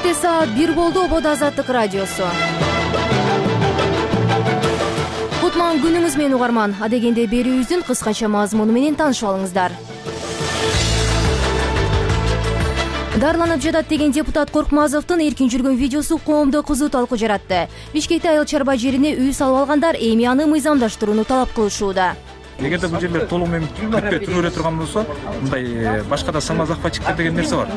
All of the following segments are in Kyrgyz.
Кечте саат 1 болду. Обод Азаттык радиосу. Кутман күнүңүз менен угарман. Адегенде берүүбүздүн кыскача мазмуну менен таанышып алыңыздар. Дарланып жатат деген депутат Коркмазовдун эркин жүргөн видеосу коомдо кызуу талкуу жаратты. Бишкекте айыл чарба жерине үй салып алгандар эми аны мыйзамдаштырууну талап кылышууда. Эгерде бул жерлер толук менен бүтпөй туруп эле турган болсо, мындай башка да самозахватчиктер деген нерсе бар.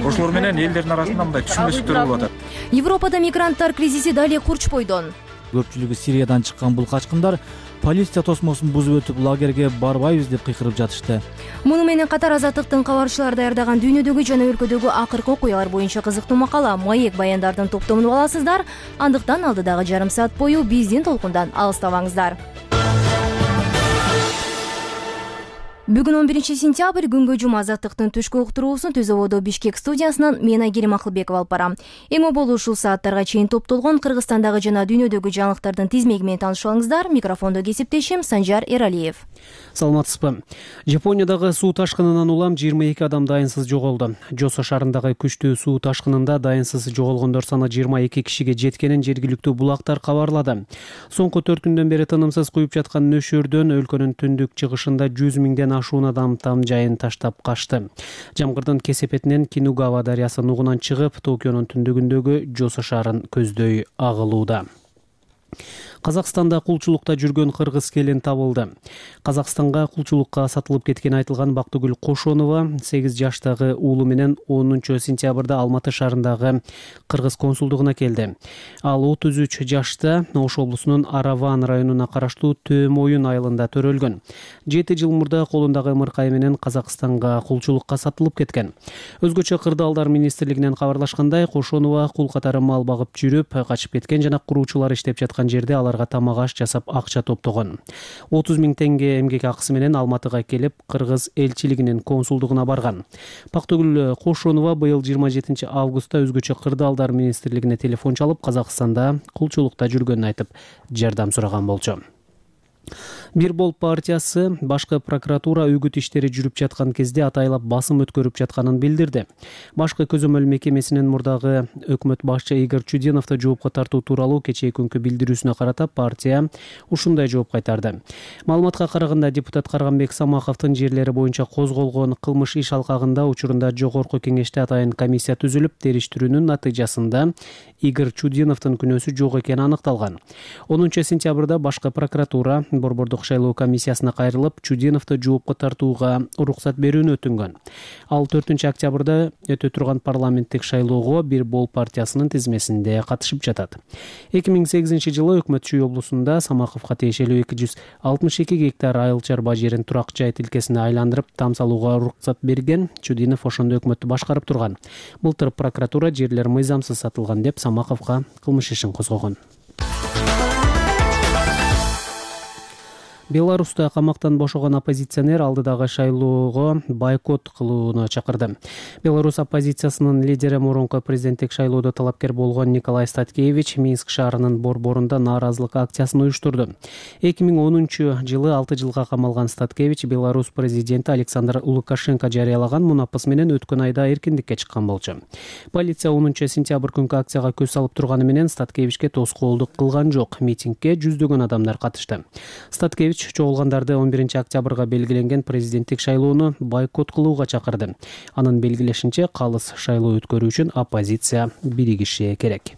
Ошолор менен элдердин арасында мындай түшүнбөстүктөр болуп атат. Европада мигранттар кризиси дали курч бойдон. Көпчүлүгү Сириядан чыккан бул качкындар полиция тосмосун бузуп өтүп лагерге барбайбыз деп кыйкырып жатышты. Муну менен катар Азаттыктын кабарчылары даярдаган дүйнөдөгү жана өлкөдөгү акыркы окуялар боюнча кызыктуу макала, маек баяндардын топтомун аласыздар. Андыктан алдыдагы жарым саат бою биздин толкундан алыстабаңыздар. Бүгүн 11 сентябрь күнгө жума Азаттыктын түшкү уктуруусун Түз Ободо Бишкек студиясынан мен Айгерим Акылбекова алып барам. Эң оболу ушул сааттарга чейин топтолгон Кыргызстандагы жана дүйнөдөгү жаңылыктардын тизмеги менен таанышып алыңыздар. Микрофондо кесиптешим Санжар Эралиев. Саламатсызбы? Жапониядагы суу ташкынынан улам 22 адам дайынсыз жоголду. Жосо шаарындагы күчтүү суу ташкынында дайынсыз жоголгондор саны 22 кишиге жеткенин жергиликтүү булактар кабарлады. Соңку 4 күндөн бери тынымсыз куюп жаткан нөшөрдөн өлкөнүн түндүк чыгышында 100 миңден ашуун адам там жайын таштап качты. Жамгырдын кесепетинен Кинугава дарыясы нугунан чыгып, Токионун түндүгүндөгү Жосо шаарын көздөй агылууда. Казакстанда кулчулукта жүргөн кыргыз келин табылды. Казакстанга кулчулукка сатылып кеткени айтылган Бактыгүл Кошонова 8 жаштагы уулу менен 10 сентябрда Алматы шаарындагы кыргыз консулдугуна келди. Ал 33 жашта Ош облусунун Араван районуна караштуу Төөм Оюн айылында төрөлгөн. 7 жыл мурда колундагы ымыркай менен Казакстанга кулчулукка сатылып кеткен. Өзгөчө кырдаалдар министрлигинен кабарлашкандай, Кошонова кул катары мал багып жүрүп, качып кеткен жана куруучулар иштеп жаткан жерде аларга тамак аш жасап акча топтогон. 30 миң теңге эмгек акысы менен Алматыга келип, кыргыз элчилигинин консулдугуна барган. Бактыгүл Кошонова быйыл 27 августта өзгөчө кырдаалдар министрлигине телефон чалып, Казакстанда кулчулукта жүргөнүн айтып, жардам сураган болчу. Бир Бол партиясы башкы прокуратура үгүт иштери жүрүп жаткан кезде атайлап басым өткөрүп жатканын билдирди. Башкы көзөмөл мекемесинин мурдагы өкмөт башчы Игорь Чудиновду жоопко тартуу тууралуу кечээ күнкү билдирүүсүнө карата партия ушундай жооп кайтарды. Маалыматка караганда, депутат Карганбек Самаховдун жерлери боюнча козголгон кылмыш иш алкагында учурунда жогорку кеңеште атайын комиссия түзүлүп, териштирүүнүн натыйжасында Игорь Чудиновдун күнөөсү жок экени аныкталган. 10 сентябрда башкы прокуратура борбордук шайлоо комиссиясына кайрылып, Чудиновду жоопко тартууга уруксат берүүнү өтүнгөн. Ал 4 октябрда өтө турган парламенттик шайлоого Бир Бол партиясынын тизмесинде катышып жатат. 2008 жылы Өкмөт облусунда Самаховго тиешелүү 262 гектар айыл чарба жерин турак жай тилкесине айландырып, там салууга уруксат берген. Чудинов ошондо өкмөттү башкарып турган. Былтыр прокуратура жерлер мыйзамсыз сатылган деп Самаховго кылмыш ишин козгогон. Беларуста камактан бошогон оппозиционер алдыдагы шайлоого бойкот кылууну чакырды. Беларусь оппозициясынын лидери мурунку президенттик шайлоодо талапкер болгон Николай Статкевич Минск шаарынын борборунда нааразылык акциясын уюштурду. 2010 жылы 6 жылга камалган Статкевич Беларусь президенти Александр Лукашенко жарыялаган мунапыс менен өткөн айда эркиндикке чыккан болчу. Полиция 10 сентябрь күнкү акцияга көз салып турганы менен Статкевичке тоскоолдук кылган жок. Митингге жүздөгөн адамдар катышты. Статкевич чогулгандарды 11 октябрга белгиленген президенттик шайлоону бойкот кылууга чакырды. Анын белгилешинче, калыс шайлоо өткөрүү үчүн оппозиция биригиши керек.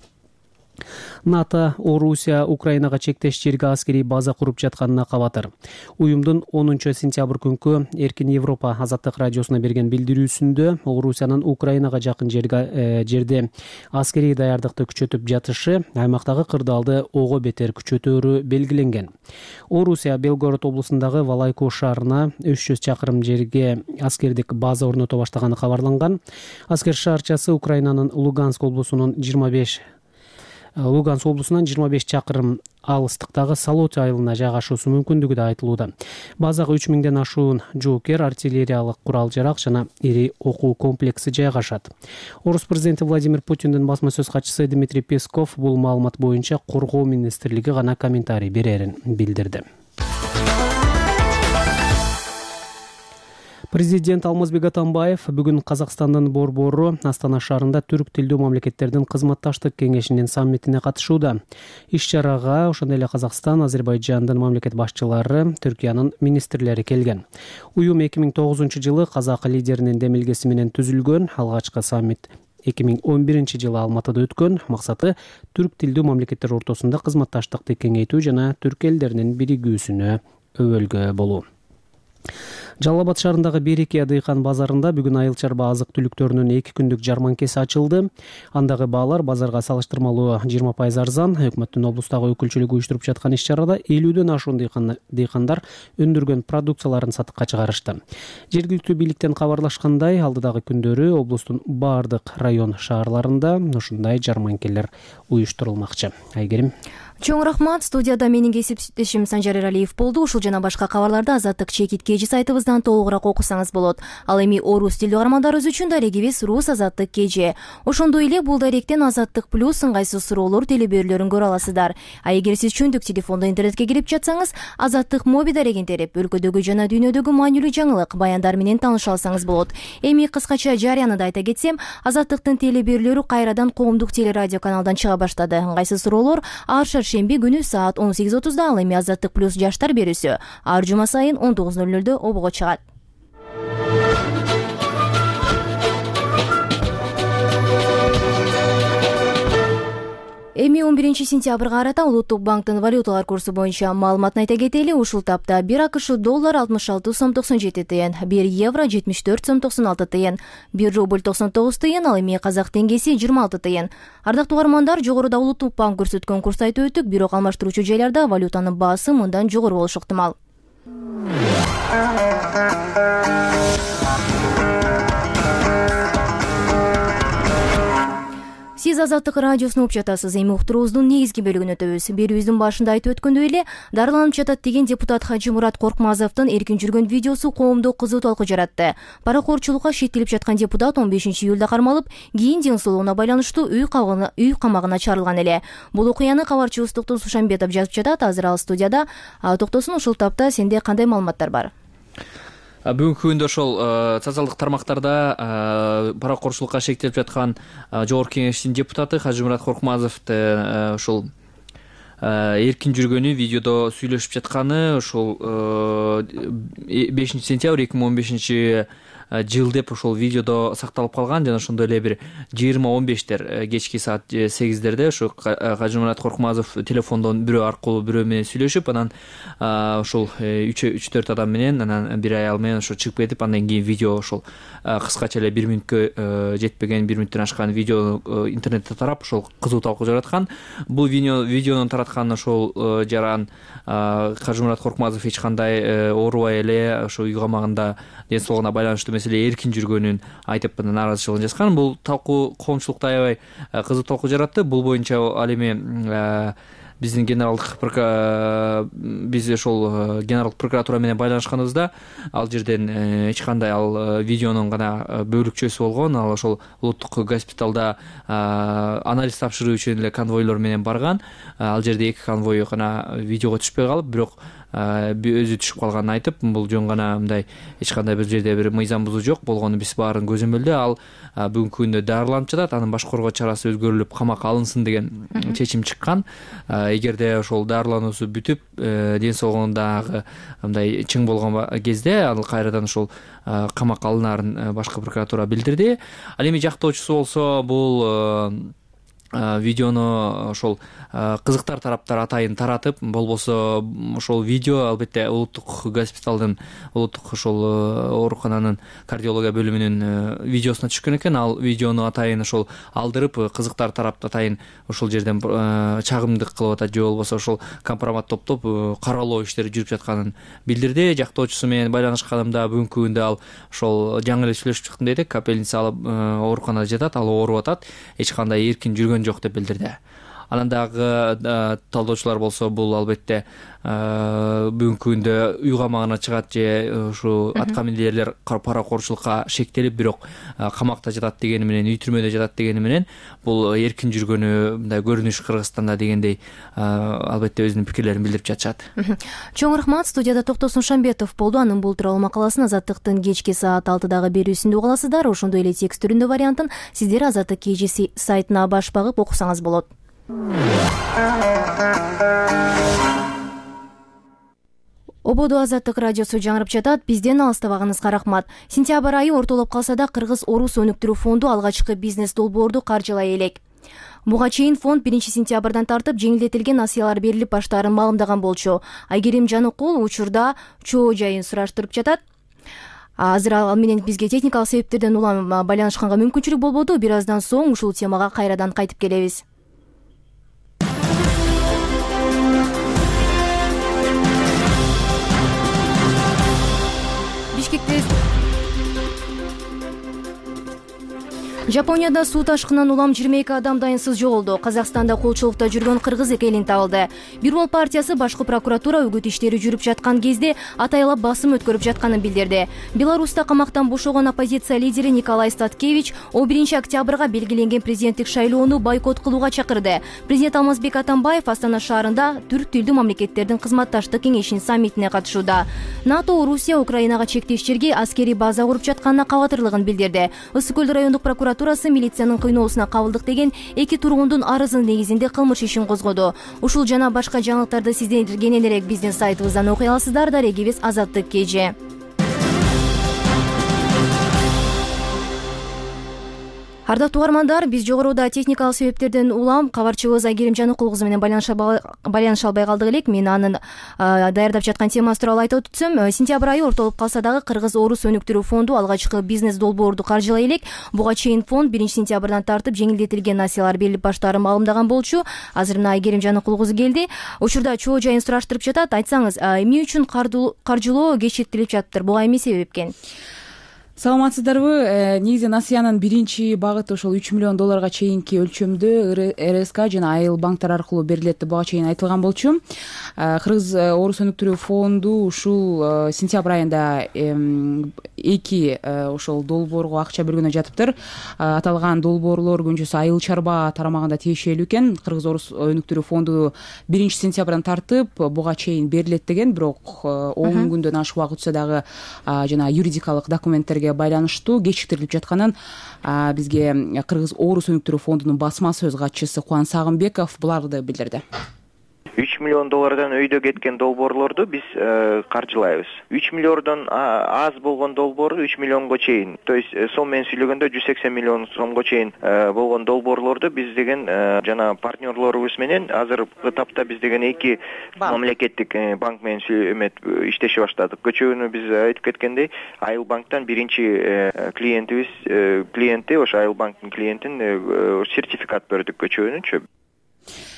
НАТО Орусия Украинага чектеш жерге аскерий база куруп жатканына кабатыр. Уюмдун 10 сентябрь күнкү Эркин Европа Азаттык радиосуна берген билдирүүсүндө Орусиянын Украинага жакын жерде аскерий даярдыкты күчөтүп жатышы аймактагы кырдаалды ого бетер күчөтөөрү белгиленген. Орусия Белгород облусундагы Валайко шаарына 300 чакырым жерге аскердик база орното баштаганы кабарланган. Аскер шаарчасы Украинанын Луганск облусунун 25 чакырым алыстыктагы Салот айылына жайгашуусу мүмкүндүгү да айтылууда. Базага 3000ден ашуун жоокер, артиллериялык курал-жарак жана ири окуу комплекси жайгашат. Орус президенти Владимир Путиндин басма сөз катчысы Дмитрий Песков бул маалымат боюнча Коргоо министрлиги гана комментарий берерин билдирди. Президент Алмазбек Атамбаев бүгүн Казакстандын борбору Астана шаарында түрк тилдүү мамлекеттердин кызматташтык кеңешинин саммитине катышууда. Иш-чарага ошондой эле Казакстан, Азербайжандын мамлекет башчылары, Түркиянын министрлери келген. Уюм 2009-жылы казак лидеринин демилгеси менен түзүлгөн. Алгачкы саммит 2011-жылы Алматыда өткөн. Максаты түрк тилдүү мамлекеттер ортосунда кызматташтыкты кеңейтүү жана түрк элдеринин биригүүсүнө өбөлгө болуу. Жалал Абад шаарындагы Береке дыйкан базарында бүгүн айыл чарба азык түлүктөрүнүн 2 күндүк жарманкеси ачылды. Андагы баалар базарга салыштырмалуу 20% арзан. Өкмөттүн облустагы өкүлчүлүгү уюштуруп жаткан иш-чарада 50дөн ашуун дыйкандар өндүргөн продукцияларын сатыкка чыгарышты. Жергиликтүү бийликтен кабарлашкандай, алдыдагы күндөрү облустун баардык район шаарларында ушундай жарманкелер уюштурулмакчы. Айгерим. Чоң рахмат. Студияда менин кесиптешим Санжар Эралиев болду. Ушул жана башка кабарларды Азаттык чекит KG сайтыбыздан толугураак окусаңыз болот. Ал эми орус тилдүү каармандарыбыз үчүн дарегибиз Рус Азаттык KG. Ошондой эле бул даректен Азаттык плюс ыңгайсыз суроолор телеберүүлөрүн көрө аласыздар. А эгер сиз чөндүк телефондо интернетке кирип жатсаңыз, Азаттык моби дарегин терип, өлкөдөгү жана дүйнөдөгү маанилүү жаңылык, баяндар менен тааныша алсаңыз болот. Эми кыскача жарыяны да айта кетсем, Азаттыктын телеберүүлөрү кайрадан коомдук телерадио каналдан чыга баштады. Ыңгайсыз суроолор ар шаршемби күнү саат 18:30 ал эми Азаттык плюс жаштар берүүсү ар жума сайын 19:00 обого чыгат. Эми 11-сентябрга карата Улуттук банктын валюталар курсу боюнча маалыматын айта кетели. Ушул тапта 1 АКШ доллар 66 сом 97 тыйын, 1 евро 74 сом 96 тыйын, 1 рубль 99 тыйын, ал эми казак теңгеси 26 тыйын. Ардактуу каармандар, жогоруда Улуттук банк көрсөткөн курс айтып өттүк, бирок алмаштыруучу жайларда валютанын баасы мындан жогору болушу ыктымал. Сиз Азаттык радиосуну угуп жатасыз. Эми уктуруубуздун негизги бөлүгүнө өтөбүз. Берүүбүздүн башында айтып өткөндөй эле, дарыланып жатат деген депутат Хажымурат Коркмазовдун эркин жүргөн видеосу коомдо кызуу талкуу жаратты. Паракорчулукка шектелип жаткан депутат 15-июлда кармалып, кийин ден соолугуна байланыштуу үй камагына чарылган эле. Бул окуяны кабарчыбыз Токтос Сушанбетов жазып жатат. Азыр ал студияда. Токтосун, ушул тапта сенде кандай маалыматтар бар? Бүгүнкү күндө ошол социалдык тармактарда паракорчулукка шектелип жаткан жогорку кеңештин депутаты Хажымурат Коркмазовду ошол эркин жүргөнү видеодо сүйлөшүп жатканы ошол 5 сентябрь 2015 жыл деп ошол видеодо сакталып калган жана ошондой эле бир 20:15 кечки саат 8-дерде ошо Хажымурат Коркмазов телефондон бирөө аркылуу бирөө менен сүйлөшүп, анан ошол 3-4 адам менен, анан бир аял менен ошо чыгып кетип, андан кийин видео ошол кыскача эле 1 мүнөткө жетпеген, 1 мүнөттөн ашкан видео интернетте тарап, ошол кызуу талкуу жараткан. Бул видеону тараткан ошол жаран Хажымурат Коркмазов эч кандай оорубай эле ошо үй камагында ден соолугуна байланыштуу маселе эркин жүргөнүн айтып, нааразычылыгын жазган. Бул талкуу коомчулукта аябай кызуу талкуу жаратты. Бул боюнча ал эми биздин биз ошол генералдык прокуратура менен байланышканыбызда, ал жерден эч кандай ал видеонун гана бөлүкчөсү болгон. Ал ошол улуттук госпиталда анализ тапшыруу үчүн эле конвойлор менен барган. Ал жерде 2 конвой гана видеого түшпөй калып, бирок өзү түшүп калганын айтып, бул жөн гана мындай эч кандай бир жерде бир мыйзам бузуу жок болгону биз баарын көзөмөлдө. Ал бүгүнкү күндө дарыланып жатат, анын баш коргоо чарасы өзгөрүлүп камакка алынсын деген чечим чыккан. Эгерде ошол дарылануусу бүтүп, ден соолугундагы мындай чың болгон кезде ал кайрадан ошол камакка алынаарын башкы прокуратура билдирди. Ал эми жактоочусу болсо бул видеону ошол кызыктар тараптар атайын таратып, болбосо ошол видео албетте улуттук госпиталдын, улуттук ошол оорукананын кардиология бөлүмүнүн видеосуна түшкөн экен. Ал видеону атайын ошол алдырып, кызыктар тарап атайын ошол жерден чагымдык кылып атат, же болбосо ошол компромат топтоп каралоо иштери жүрүп жатканын билдирди. Жактоочусу менен байланышканымда бүгүнкү күндө ал ошол жаңы эле сүйлөшүп чыктым деди, капельница алып ооруканада жатат, ал ооруп атат, эч кандай эркин жүргөн жок деп билдирди. Анан дагы талдоочулар болсо бул албетте бүгүнкү күндө уйгамагына чыгат же ушу аткаминерлер паракорчулукка шектелип бирок камакта жатат дегени менен, үй түрмөдө жатат дегени менен бул эркин жүргөнү мындай көрүнүш Кыргызстанда дегендей албетте өзүнүн пикирлерин билдирип жатышат. Чоң рахмат. Студияда Токтосун Шамбетов болду. Анын бул тууралуу макаласын Азаттыктын кечки саат 6дагы берүүсүндө уга аласыздар. Ошондой эле текст түрүндө вариантын сиздер Азаттык KG сайтына баш багып окусаңыз болот. Ободо Азаттык радиосу жаңырып жатат. Бизден алыстабаганыңызга рахмат. Сентябрь айы ортолоп калса да Кыргыз Орус өнүктүрүү фонду алгачкы бизнес долбоорду каржылай элек. Буга чейин фонд 1-сентябрдан тартып жеңилдетилген насыялар берилип баштаарын маалымдаган болчу. Айгерим Жаныкул учурда чоо жайын сураштырып жатат. Азыр ал менен бизге техникалык себептерден улам байланышканга мүмкүнчүлүк болбоду. Бир аздан соң ушул темага кайрадан кайтып келебиз. Жапонияда суу ташкынынан улам 22 адам дайынсыз жоголду. Казакстанда колчулукта жүргөн кыргыз экенин табылды. Бирбол партиясы башкы прокуратура үгүт иштери жүрүп жаткан кезде атайлап басым өткөрүп жатканын билдирди. Беларуста камактан бошогон оппозиция лидери Николай Статкевич 1 октябрга белгиленген президенттик шайлоону бойкот кылууга чакырды. Президент Алмазбек Атамбаев Астана шаарында түрк тилдүү мамлекеттердин кызматташтык кеңешинин саммитине катышууда. НАТО Орусия Украинага чектештерге аскерий база куруп жатканына кабатырлыгын билдирди. Ысык Көл райондук прокуратурасы милициянын кыйноосуна кабылдык деген 2 тургундун арызынын негизинде кылмыш ишин козгоду. Ушул жана башка жаңылыктарды сиздер кененирээк биздин сайтыбыздан окуй аласыздар. Дарегибиз Азаттык KG. Ардактуу угармандар, биз жогоруда техникалык себептерден улам кабарчыбыз Айгерим Жаныкул кызы менен байланыша албай калдык элек. Мен анын даярдап жаткан темасы тууралуу айтып өтсөм, сентябрь айы ортолуп калса дагы Кыргыз Орус өнүктүрүү фонду алгачкы бизнес долбоорду каржылай элек. Буга чейин фонд 1-сентябрдан тартып жеңилдетилген насыялар берилип баштаарын маалымдаган болчу. Азыр мына Айгерим Жаныкул кызы келди. Учурда чоо жайын сураштырып жатат. Айтсаңыз, эмне үчүн каржылоо кечиктирилип жатыптыр? Буга эмне себеп экен? Саламатсыздарбы? Негизи насыянын биринчи багыты ошол 3 миллион долларга чейинки өлчөмдө РСК жана айыл банктар аркылуу берилет буга чейин айтылган болчу. Кыргыз Орус өнүктүрүү фонду ушул сентябрь айында 2 ошол долбоорго акча бөлгөнү жатыптыр. Аталган долбоорлор күнчүсү айыл чарба тарамагында тиешелүү экен. Кыргыз Орус өнүктүрүү фонду 1-сентябрдан тартып буга чейин берилет деген, бирок 10 күндөн ашык убакыт өтсө дагы жана юридикалык документтерге байланыштуу кечиктирилип жатканын бизге Кыргыз Орус өнүктүрүү фондунун басма сөз катчысы Кубан Сагынбеков буларды билдирди. 3 миллион доллардан өйдө кеткен долбоорлорду биз каржылайбыз. 3 миллиондон аз болгон долбоорду 3 миллионго чейин, то есть сом менен сүйлөгөндө 180 миллион сомго чейин болгон долбоорлорду биз деген жана партнерлорубуз менен азыркы тапта биз деген 2 мамлекеттик банк менен иштеше баштадык. Көчөгөнү биз айтып кеткендей, Айыл банктан биринчи клиенти ошо Айыл банктын клиентин сертификат бердик көчөгөнүнчү.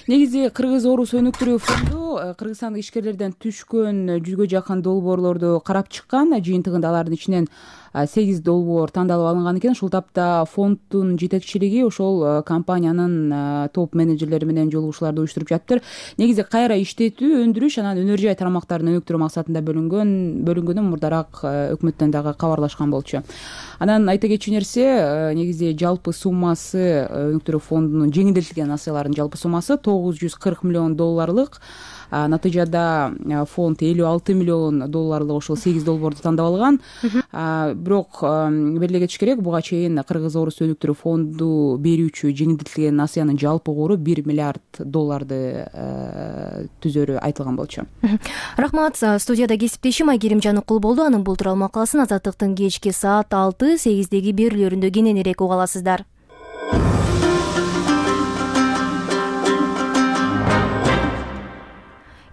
Негизи Кыргыз Орус өнүктүрүү фонду кыргызстандык ишкерлерден түшкөн 100гө жакын долбоорлорду карап чыккан. Жыйынтыгында алардын ичинен 8 долбоор тандалып алынган экен. Ушул тапта фонддун жетекчилиги ошол компаниянын топ менеджерлери менен жолугушууларды уюштуруп жатыптыр. Негизи кайра иштетүү, өндүрүш, анан өнөр жай тарамактарын өнүктүрүү максатында бөлүнгөнү мурдараак өкмөттөн дагы кабарлашкан болчу. Анан айта кетчү нерсе, негизи жалпы суммасы өнүктүрүү фондунун жеңилдетилген насыяларынын жалпы суммасы 940 миллион долларлык. Натыйжада фонд 56 миллион долларлык ошол 8 долбоорду тандап алган. Бирок белгилей кетиш керек, буга чейин Кыргыз Орус өнүктүрүү фонду берүүчү жеңилдетилген насыянын жалпы кору 1 миллиард долларды түзөрү айтылган болчу. Рахмат. Студияда кесиптешим Айгерим Жаныкул болду. Анын бул тууралуу макаласын Азаттыктын кечки саат 6-8деги берүүлөрүндө кененирээк уга аласыздар.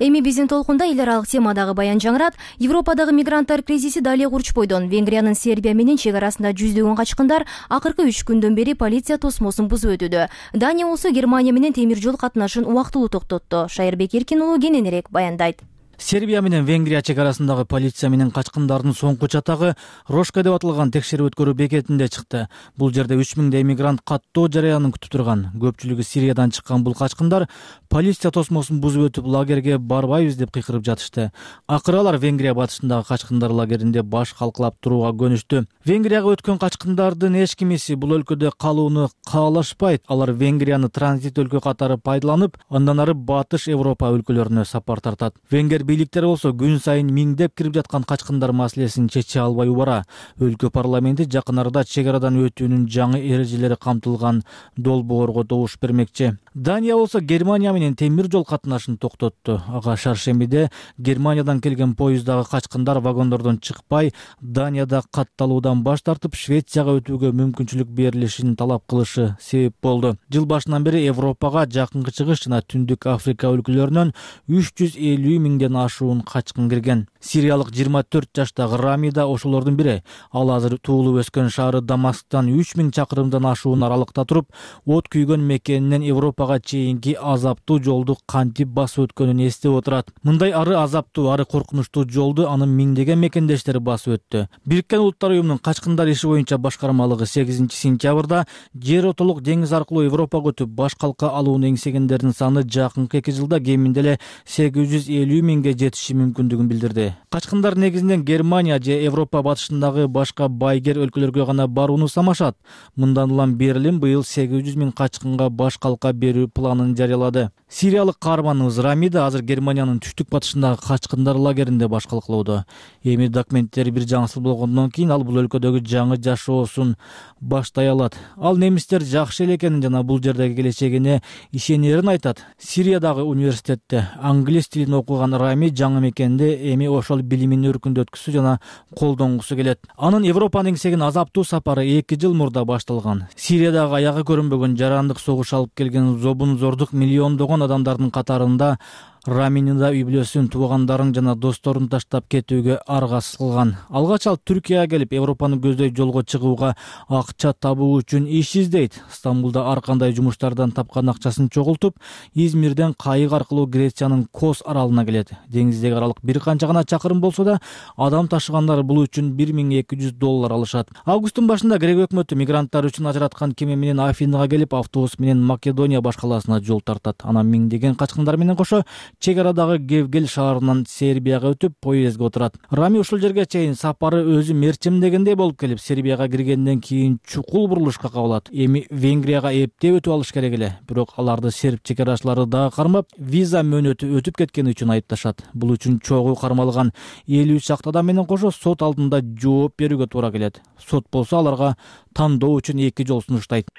Эми биздин толкунда эл аралык темадагы баян жаңырат. Европадагы мигранттар кризиси дале курчпойдон. Венгриянын Сербия менен чек арасында жүздөгөн качкындар акыркы 3 күндөн бери полиция тосмосун бузуп өтүүдө. Дания болсо Германия менен темир жол катнашын убактылуу токтотту. Шайырбек Эркин уулу кененирээк баяндайт. Сербия менен Венгрия чек арасындагы полиция менен качкындардын соңку чатагы Рошка деп аталган текшерип өткөрүү бекетинде чыкты. Бул жерде 3000 эмигрант каттоо жараянын күтүп турган. Көпчүлүгү Сириядан чыккан бул качкындар полиция тосмосун бузуп өтүп лагерге барбайбыз деп кыйкырып жатышты. Акыры алар Венгрия батышындагы качкындар лагеринде баш калкалап турууга көнүштү. Венгрияга өткөн качкындардын эч кимиси бул өлкөдө калууну каалашпайт. Алар Венгрияны транзит өлкө катары пайдаланып, андан ары батыш Европа өлкөлөрүнө сапар тартат. Венгер бийликтери болсо күн сайын миңдеп кирип жаткан качкындар маселесин чече албай убара. Өлкө парламенти жакын арада чек арадан өтүүнүн жаңы эрежелери камтылган долбоорго добуш бермекчи. Дания болсо Германия менен темир жол катнашын токтотту. Ага шаршембиде Германиядан келген поездагы качкындар вагондордон чыкпай, Данияда катталуудан баш тартып, Швецияга өтүүгө мүмкүнчүлүк берилишин талап кылышы себеп болду. Жыл башынан бери Европага Жакынкы Чыгыш жана Түндүк Африка өлкөлөрүнөн 350 миңден ашуун качкын кирген. Сириялык 24 жаштагы Рами да ошолордун бири. Ал азыр туулуп өскөн шаары Дамасктан 3000 чакырымдан ашуун аралыкта туруп, от күйгөн мекенинен Европага чейинки азаптуу жолду кантип басып өткөнүн эстеп отурат. Мындай ары азаптуу, ары коркунучтуу жолду анын миңдеген мекендештери басып өттү. Бириккен Улуттар уюмунун качкындар иши боюнча башкармалыгы 8 сентябрда жер отолук деңиз аркылуу Европага өтүп баш калка алууну эңсегендердин саны жакынкы 2 жылда кеминде эле 850 миңге жетиши мүмкүндүгүн билдирди. Качкындар негизинен Германия же Европа батышындагы башка байгер өлкөлөргө гана барууну самашат. Мындан улам Берлин быйыл 800 миң качкынга баш калка берүү планын жарыялады. Сириялык каарманыбыз Рами да азыр Германиянын түштүк батышындагы качкындар лагеринде баш калкалоодо. Эми документтери бир жаңысыл болгондон кийин ал бул өлкөдөгү жаңы жашоосун баштай алат. Ал немистер жакшы эле экенин жана бул жердеги келечегине ишенерин айтат. Сириядагы университетте англис тилин окуган Рами жаңы мекенде эми ошол билимин өркүндө өткүзү жана колдонгусу келет. Анын Европанын эңсеген азаптуу сапары 2 жыл мурда башталган. Сириядагы аягы көрүнбөгөн жарандык согуш алып келген зобун-зордук миллиондогон адамдардын катарында Раминин да үй бүлөсүн, туугандарын жана досторун таштап кетүүгө аргасыз кылган. Алгач ал Түркияга келип, Европаны көздөй жолго чыгууга акча табуу үчүн иш издейт. Стамбулда ар кандай жумуштардан тапкан акчасын чогултуп, Измирден кайык аркылуу Грециянын Кос аралына келет. Деңиздеги аралык бир канча гана чакырым болсо да, адам ташыгандар бул үчүн $1200 алышат. Августтун башында Грек өкмөтү мигранттар үчүн ажыраткан кеме менен Афинага келип, автобус менен Македония баш калаасына жол тартат. Анан миңдеген качкындар менен кошо чек арадагы Гевгел шаарынан Сербияга өтүп, поездге отурат. Рами ушул жерге чейин сапары өзү мерчимдегендей болуп келип, Сербияга киргенден кийин чукул бурулушка кабылат. Эми Венгрияга эптеп өтүп алыш керек эле. Бирок аларды серб чек арачылары дагы кармап, виза мөөнөтү өтүп кеткени үчүн айыпташат. Бул үчүн чогуу кармалган 50 чакты адам менен кошо сот алдында жооп берүүгө туура келет. Сот болсо аларга тандоо үчүн 2 жол сунуштайт.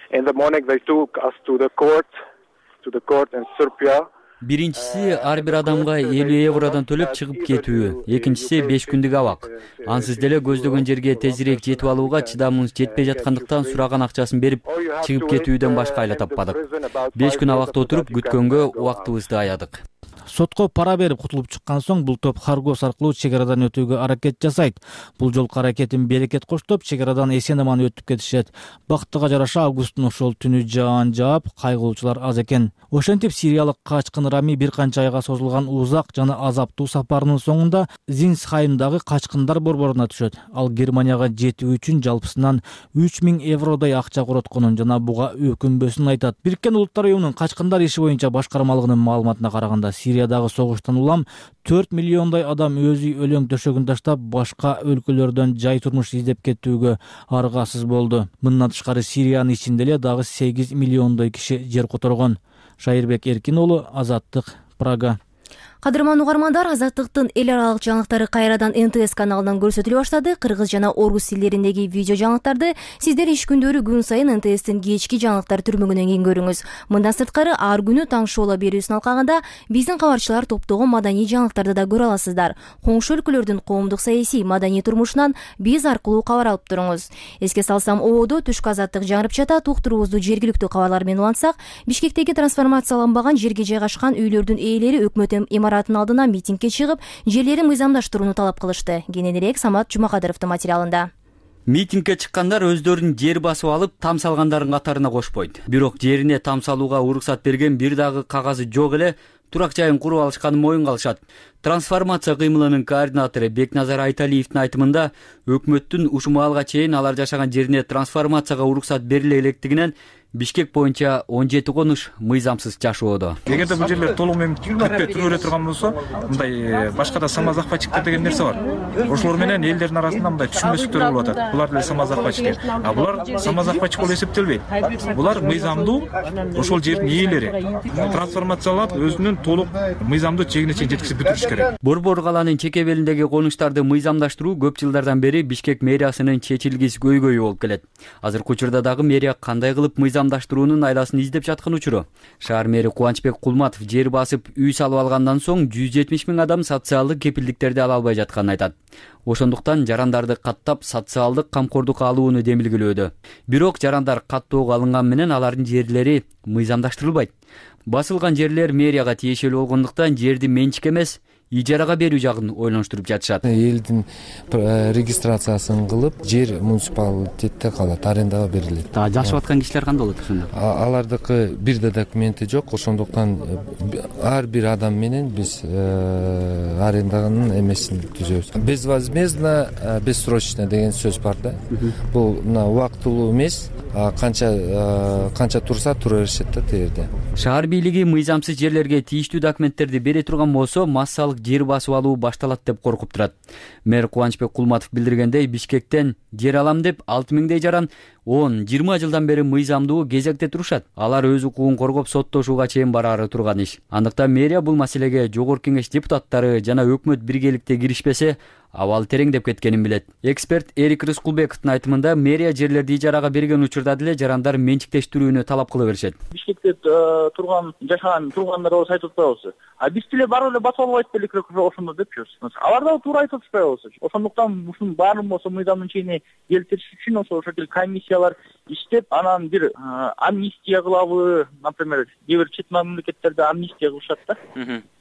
Биринчиси ар бир адамга 50 евродон төлөп чыгып кетүү, экинчиси 5 күндүк абак. Ансыз деле көздөгөн жерге тезирээк жетип алууга чыдамыңыз жетпей жаткандыктан сураган акчасын берип чыгып кетүүдөн башка айла таппадык. 5 күн абакта отуруп күткөнгө убактыбызды аядык. Сотко пара берип кутулуп чыккан соң бул топ Харгос аркылуу чек арадан өтүүгө аракет жасайт. Бул жолку аракетин берекет коштоп, чек арадан эсен-аман өтүп кетишет. Бактыга жараша августтун ошол түнү жаан жаап, кайгылуучулар аз экен. Ошентип сириялык качкын Рами бир канча айга созулган узак жана азаптуу сапарынын соңунда Зинсхаймдагы качкындар борборуна түшөт. Ал Германияга жетүү үчүн жалпысынан 3000 евродой акча коротконун жана буга өкүнбөсүн айтат. Бириккен Улуттар уюмунун качкындар иши боюнча башкармалыгынын маалыматына караганда, Сириядагы согуштан улам 4 миллиондой адам өз үй өлөң төшөгүн таштап, башка өлкөлөрдөн жай турмуш издеп кетүүгө аргасыз болду. Мындан тышкары Сириянын ичинде эле дагы 8 миллиондой киши жер которгон. Шайырбек Эркин уулу, Азаттык, Прага. Кадырман угармандар, Азаттыктын эл аралык жаңылыктары кайрадан НТС каналынан көрсөтүлө баштады. Кыргыз жана орус тилдериндеги видео жаңылыктарды сиздер иш күндөрү күн сайын НТСтин кечки жаңылыктар түрмөгүнөн кийин көрүңүз. Мындан сырткары ар күнү таң шоула берүүсүн алкагында биздин кабарчылар топтогон маданий жаңылыктарды да көрө аласыздар. Коңшу өлкөлөрдүн коомдук саясий маданий турмушунан биз аркылуу кабар алып туруңуз. Эске салсам, ободо түшкү азаттык жаңырып жатат. Уктуруубузду жергиликтүү кабарлар менен улантсак, Бишкектеги трансформацияланбаган жерге жайгашкан үйлөрдүн ээлери өкмөт имараттын алдына митингге чыгып, жерлерин мыйзамдаштырууну талап кылышты. Кененирээк Самат Жумакадыровдун материалында. Митингге чыккандар өздөрүн жер басып алып, там салгандардын катарына кошпойт. Бирок жерине там салууга уруксат берген бир дагы кагазы жок эле турак жайын куруп алышканын моюнга алышат. Трансформация кыймылынын координатору Бекназар Айталиевдин айтымында өкмөттүн ушул маалга чейин алар жашаган жерине трансформацияга уруксат бериле электигинен Бишкек боюнча 17 конуш мыйзамсыз жашоодо. Эгерде бул жерлер толук менен кирпе түрөлө турган болсо, мындай башка да самозахватчиктер деген нерсе бар. Ошолор менен элдердин арасында мындай түшүнбөстүктөр болуп атат. Булар деле самозахватчиктер. А булар самозахватчик болуп эсептелбейт. Булар мыйзамдуу ошол жердин ээлери. Трансформациялап өзүнүн толук мыйзамдуу чегине чейин жеткизип бүтүрүш керек. Борбор калаанын чек эбелиндеги конуштарды мыйзамдаштыруу көп жылдардан бери Бишкек мэриясынын чечилгис көйгөйү болуп келет. Азыркы учурда дагы мэрия кандай кылып мыйзамдаштыруунун айдасын издеп жаткан учуру. Шаар мэри Кубанычбек Кулматов жер басып үй салып алгандан соң 170 000 адам социалдык кепилдиктерди ала албай жатканын айтат. Ошондуктан жарандарды каттап социалдык камкордукка алууну демилгелөөдө. Бирок жарандар каттоого алынган менен алардын жерлери мыйзамдаштырылбайт. Басылган жерлер мэрияга тиешелүү болгондуктан жерди менчик эмес, ижарага берүү жагын ойлонуштуруп жатышат. Элдин регистрациясын кылып, жер муниципалитетте калат, арендага берилет. Жашап аткан кишилер кандай болот ошондо? Алардыкы бир да документи жок, ошондуктан ар бир адам менен биз аренданын эмесин түзөбүз. Безвозмездно, бессрочно деген сөз бар да. Бул убактылуу эмес, канча турса тура беришет да тегерде. Шаар бийлиги мыйзамсыз жерлерге тийиштүү документтерди бере турган болсо, массалык жер басып алуу башталат деп коркуп турат. Мэр Кубанычбек Кулматов билдиргендей, Бишкектен жер алам деп 6000 жаран 10-20 жылдан бери мыйзамдуу кезекте турушат. Алар өз укугун коргоп соттошууга чейин бараары турган иш. Андыктан мэрия бул маселеге Жогорку Кеңеш депутаттары жана өкмөт биргеликте киришпесе, абал тереңдеп кеткенин билет. Эксперт Эрик Рыскулбековдун айтымында мэрия жерлерди ижарага берген учурда деле жарандар менчиктештирүүнү талап кыла беришет. Бишкекте жашаган тургандар болсо айтып атпайбызбы? Биз деле барып эле басып албайт белек ошондо деп жүрөбүз. Алар да туура айтып атпайбызбы? Ошондуктан ушунун баарын болсо мыйзамдын чегине келтириш үчүн ошол комиссиялар иштеп, анан бир амнистия кылабы, например, кээ бир чет мамлекеттерде амнистия кылышат да.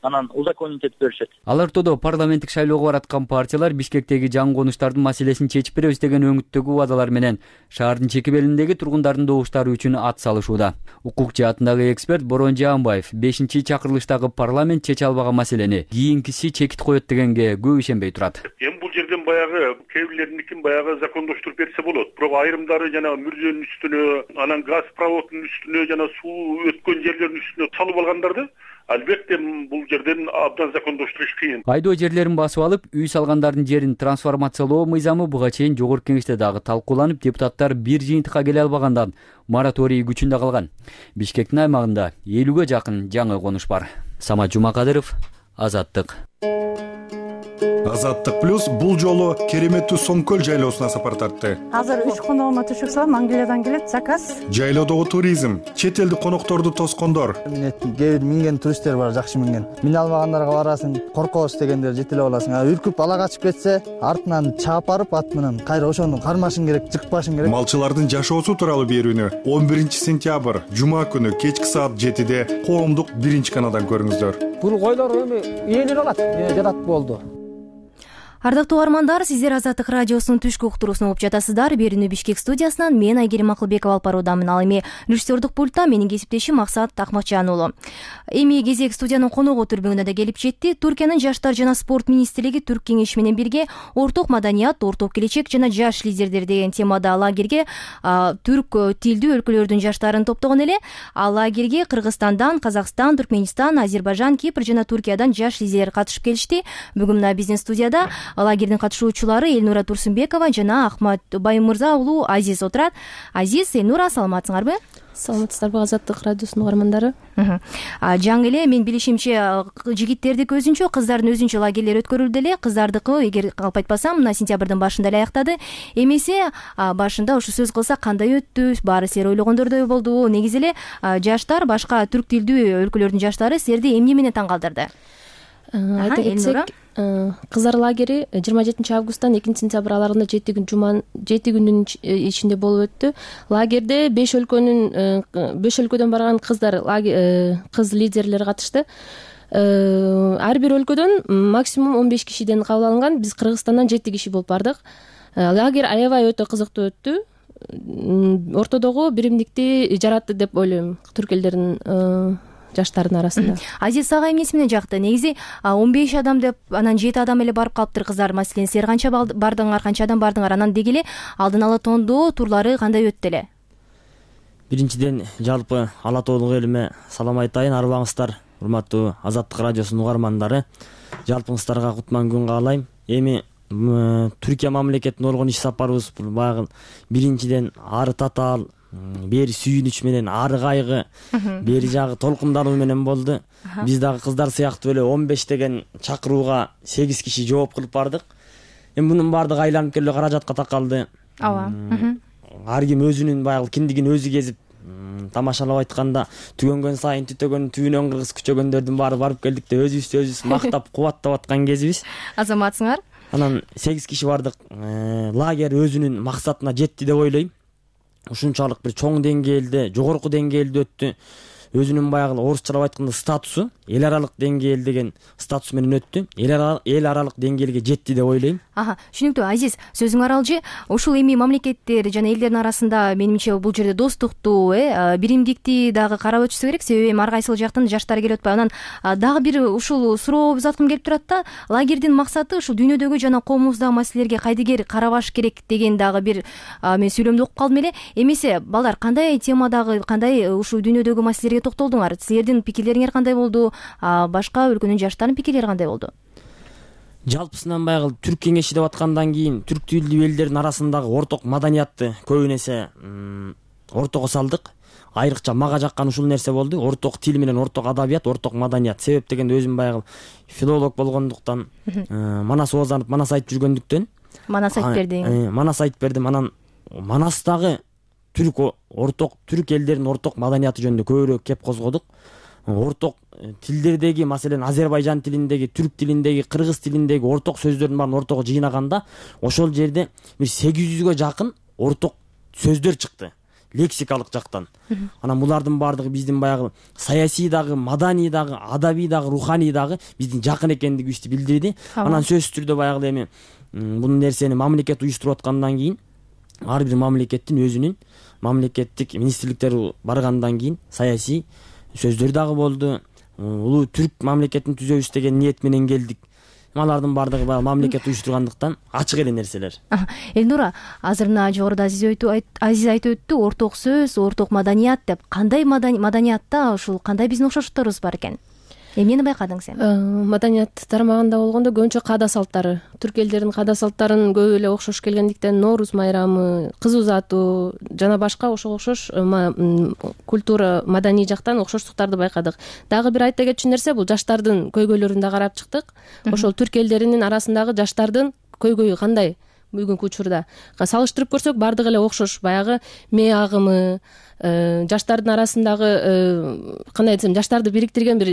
Анан узаконить этип беришет. Ал ортодо парламенттик шайлоого бараткан партиялар Бишкектеги жаңы конуштардын маселесин чечип беребиз деген өңүттөгү убадалар менен шаардын чек эбелиндеги тургундардын добуштары үчүн ат салышууда. Укук жаатындагы эксперт Борон Жаанбаев 5-чакырылыштагы парламент чече албаган маселени кийинкиси чекит коет дегенге көп ишенбей турат. Эми бул жерден баягы кээ бирлердикин баягы закондоштуруп берсе болот. Бирок айрымдары жана мүрзөнүн үстүнө, анан газ проводунун үстүнө жана суу өткөн жерлердин үстүнө салып алгандарды албетте бул жерден абдан закондоштуруш кыйын. Айдоо жерлерин басып алып, үй салгандардын жерин трансформациялоо мыйзамы буга чейин Жогорку Кеңеште дагы талкууланып, депутаттар бир жыйынтыкка келе албагандан мораторий күчүндө калган. Бишкектин аймагында 50ге жакын жаңы конуш бар. Самат Жумакадыров, Азаттык. Азаттык плюс бул жолу кереметтүү Соңкөл жайлоосуна сапар тартты. Азыр 3 коногума түшүп салам, Англиядан келет заказ. Жайлоодогу туризм, чет элдик конокторду тоскондор. Кээ бир минген туристтер бар, жакшы минген. Мине албагандарга барасың, коркобуз дегендер жетелеп аласың. Үркүп ала качып кетсе, артынан чаап барып ат менен кайра ошону кармашың керек, жыкпашың керек. Малчылардын жашоосу тууралуу берүүнү 11-сентябрь жума күнү кечки саат 7-де коомдук 1-каналдан көрүңүздөр. Бул койлор эми ээлер алат, жатат болду. Ардактуу угармандар, сиздер Азаттык радиосунун түшкү уктуруусун угуп жатасыздар. Берүүнү Бишкек студиясынан мен Айгерим Акылбекова алып баруудамын. Ал эми режиссердук пультта менин кесиптешим Максат Акматжан уулу. Эми кезек студиянын коногу түрбөңүнө да келип жетти. Түркиянын жаштар жана спорт министрлиги Түрк кеңеши менен бирге орток маданият, орток келечек жана жаш лидерлер деген темада лагерге түрк тилдүү өлкөлөрдүн жаштарын топтогон эле. Ал лагерге Кыргызстандан, Казакстан, Түркмөнстан, Азербайжан, Кипр жана Түркиядан жаш лидерлер катышып келишти. Бүгүн мына биздин студияда лагердин катышуучулары Элнура Турсунбекова жана Ахмат Баймырза уулу Азиз отурат. Азиз, Элнура, саламатсыңарбы? Саламатсыздарбы, Азаттык радиосунун угармандары? Жаңы эле мен билишимче жигиттердики өзүнчө, кыздардын өзүнчө лагерлер өткөрүлдү эле. Кыздардыкы, эгер калп айтпасам, мына сентябрдын башында эле аяктады. Эмесе башында ушу сөз кылсак кандай өттү? Баары силер ойлогондордой болдубу? Негизи эле жаштар, башка түрк тилдүү өлкөлөрдүн жаштары силерди эмне менен таң калтырды? Айта кетсек, кыздар лагери 27 августтан 2 сентябрь аралыгында 7 күндүн ичинде болуп өттү. Лагерде 5 өлкөдөн барган кыз лидерлер катышты. Ар бир өлкөдөн максимум 15 кишиден кабыл алынган. Биз Кыргызстандан 7 киши болуп бардык. Лагерь аябай өтө кызыктуу өттү. Ортодогу биримдикти жаратты деп ойлойм. Түрк элдеринин жаштардын арасында. Азиз ага эмнеси менен жакты? Негизи 15 адам деп анан 7 адам эле барып калыптыр кыздар. Маселен, силер канча бардыңар, канча адам бардыңар? Анан деги эле алдын ала тоондоо турлары кандай өттү эле? Биринчиден жалпы ала тоолук элиме салам айтайын. Арыбаңыздар, урматтуу Азаттык радиосунун угармандары. Жалпыңыздарга кутман күн каалайм. Эми Түркия мамлекетине болгон иш сапарыбыз бул баягы биринчиден ары татаал, бери сүйүнүч менен, ары кайгы, бери жагы толкундануу менен болду. Биз дагы кыздар сыяктуу эле 15 деген чакырууга 8 киши жооп кылып бардык. Эми мунун баардыгы айланып келип каражатка такалды. Ооба. Ар ким өзүнүн баягы киндигин өзү кезип, тамашалап айтканда түгөнгөн сайын түтөгөн түбүнөн кыргыз күчөгөндөрдүн баары барып келдик деп өзүбүз мактап кубаттап аткан кезибиз. Азаматсыңар? Анан 8 киши бардык. Лагерь өзүнүн максатына жетти деп ойлойм. Ушунчалык бир чоң деңгээлде, жогорку деңгээлде өттү. Өзүнүн баягы орусчалап айтканда статусу, эл аралык деңгээл деген статус менен өттү. Эл аралык деңгээлге жетти деп ойлойм. Түшүнүктүү. Азиз, сөзүң аралжы. Ушул эми мамлекеттер жана элдердин арасында менимче бул жерде достукту, биримдикти дагы карап өтүшсө керек. Себеби эми ар кайсыл жактан жаштар келип атпайбы. Анан дагы бир ушул суроо узаткым келип турат да. Лагердин максаты ушул дүйнөдөгү жана коомубуздагы маселелерге кайдыгер карабаш керек деген дагы бир мен сүйлөмдү окуп калдым эле. Эмесе балдар кандай темадагы, кандай ушул дүйнөдөгү маселелерге токтолдуңар? Силердин пикирлериңер кандай болду? Башка өлкөнүн жаштарынын пикирлери кандай болду? Жалпысынан баягы түрк кеңеши деп аткандан кийин түрк тилдүү элдердин арасындагы орток маданиятты көбүн эсе ортого салдык. Айрыкча мага жаккан ушул нерсе болду. Орток тил менен орток адабият, орток маданият. Себеп дегенде өзүм баягы филолог болгондуктан, Манас оозанып, Манас айтып жүргөндүктөн. Манас айтып бердиң. Манас айтып бердим. Анан Манастагы түрк элдеринин орток маданияты жөнүндө көбүрөөк кеп козгодук. Орток тилдердеги, маселен Азербайжан тилиндеги, түрк тилиндеги, кыргыз тилиндеги орток сөздөрдүн баарын ортого жыйнаганда ошол жерде бир 800гө жакын орток сөздөр чыкты, лексикалык жактан. Анан булардын баардыгы биздин баягы саясий дагы, маданий дагы, адабий дагы, руханий дагы биздин жакын экендигибизди билдирди. Анан сөзсүз түрдө баягы эми бул нерсени мамлекет уюштуруп аткандан кийин ар бир мамлекеттин өзүнүн мамлекеттик министрликтери баргандан кийин саясий сөздөр дагы болду. Улуу түрк мамлекетин түзөбүз деген ниет менен келдик. Алардын баардыгы баягы мамлекет уюштургандыктан ачык эле нерселер. Элнура, азыр мына жогоруда Азиз айтып өттү, орток сөз, орток маданият деп. Кандай маданиятта ушул кандай биздин окшоштукторубуз бар экен? Эмнени байкадың сен? Маданият тармагында болгондо көбүнчө каада салттары, түрк элдеринин каада салттарын көп эле окшош келгендиктен Нооруз майрамы, кыз узатуу жана башка ошого окшош культура, маданий жактан окшоштуктарды байкадык. Дагы бир айта кетчү нерсе, бул жаштардын көйгөйлөрүн да карап чыктык. Ошол түрк элдеринин арасындагы жаштардын көйгөйү кандай бүгүнкү учурда салыштырып көрсөк, баардыгы эле окшош. Баягы мээ агымы, жаштардын арасындагы кандай десем, жаштарды бириктирген бир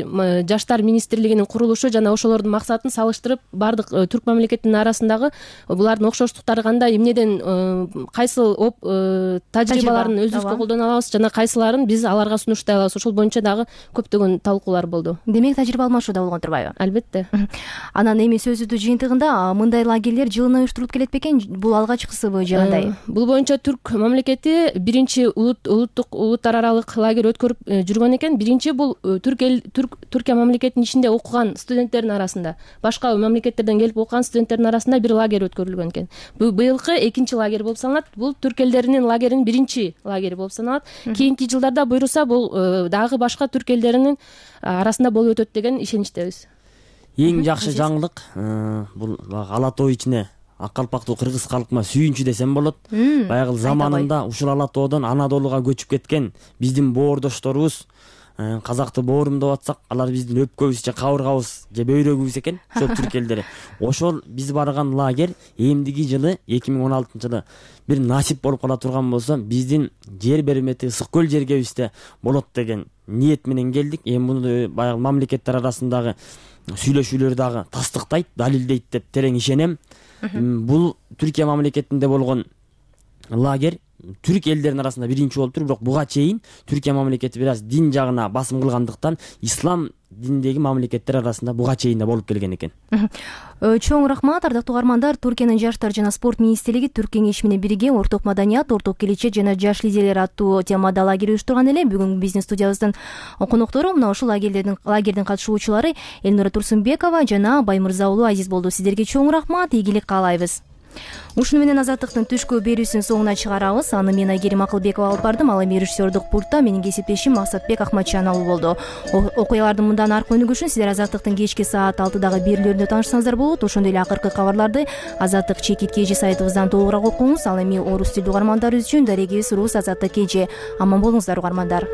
жаштар министрлигинин курулушу жана ошолордун максатын салыштырып, баардык түрк мамлекетинин арасындагы булардын окшоштуктары кандай, эмнеден кайсыл тажрыйбаларын өзүбүзгө колдоно алабыз жана кайсыларын биз аларга сунуштай алабыз. Ошол боюнча дагы көптөгөн талкуулар болду. Демек тажрыйба алмашуу да болгон турбайбы? Албетте. Анан эми сөзүбүздүн жыйынтыгында мындай лагерлер жылына уюштурулуп келет бекен? Бул алгачкысыбы же кандай? Бул боюнча түрк мамлекети биринчи улуттар аралык лагерь өткөрүп жүргөн экен. Биринчи бул Түркия мамлекетинин ичинде окуган студенттердин арасында, башка мамлекеттерден келип окуган студенттердин арасында бир лагерь өткөрүлгөн экен. Быйылкы экинчи лагерь болуп саналат. Бул түрк элдеринин лагеринин биринчи лагери болуп саналат. Кийинки жылдарда буйруса бул дагы башка түрк элдеринин арасында болуп өтөт деген ишеничтебиз. Эң жакшы жаңылык бул Ала тоо ичине ак калпактуу кыргыз калкыма сүйүнчү десем болот. Баягы заманында ушул Ала тоодон Анадолуга көчүп кеткен биздин боордошторубуз, казакты боорум деп атсак, алар биздин өпкөбүз же кабыргабыз же бөйрөгүбүз экен, ошол түрк элдери. Ошол биз барган лагерь эмдиги жылы 2016-жылы бир насип болуп кала турган болсо, биздин жер бермети ысык көл жергебизде болот деген ниет менен келдик. Эми муну баягы мамлекеттер арасындагы сүйлөшүүлөр дагы тастыктайт, далилдейт деп терең ишенем. Бул Түркия мамлекетинде болгон лагерь түрк элдеринин арасында биринчи болуптур, бирок буга чейин Түркия мамлекети бир аз дин жагына басым кылгандыктан ислам диндеги мамлекеттер арасында буга чейин да болуп келген экен. Чоң рахмат, ардактуу угармандар. Түркиянын жаштар жана спорт министрлиги Түрк кеңеши менен бирге орток маданият, орток келечек жана жаш лидерлер аттуу темада лагерь уюштурган эле. Бүгүн биздин студиябыздын коноктору мына ушул лагердин катышуучулары Элнура Турсунбекова жана Баймырза уулу Азиз болду. Сиздерге чоң рахмат, ийгилик каалайбыз. Ушуну менен Азаттыктын түшкү берүүсүнүн соңуна чыгарабыз. Аны мен Айгерим Акылбекова алып бардым. Ал эми режиссердук пультта менин кесиптешим Максатбек Акматжан уулу болду. Окуялардын мындан аркы өнүгүшүн сиздер Азаттыктын кечки саат 6дагы берүүлөрүндө таанышсаңыздар болот. Ошондой эле акыркы кабарларды Азаттык чекит KG сайтыбыздан толугураак окуңуз. Ал эми орус тилдүү угармандар үчүн дарегибиз Рус Азаттык KG. Аман болуңуздар угармандар.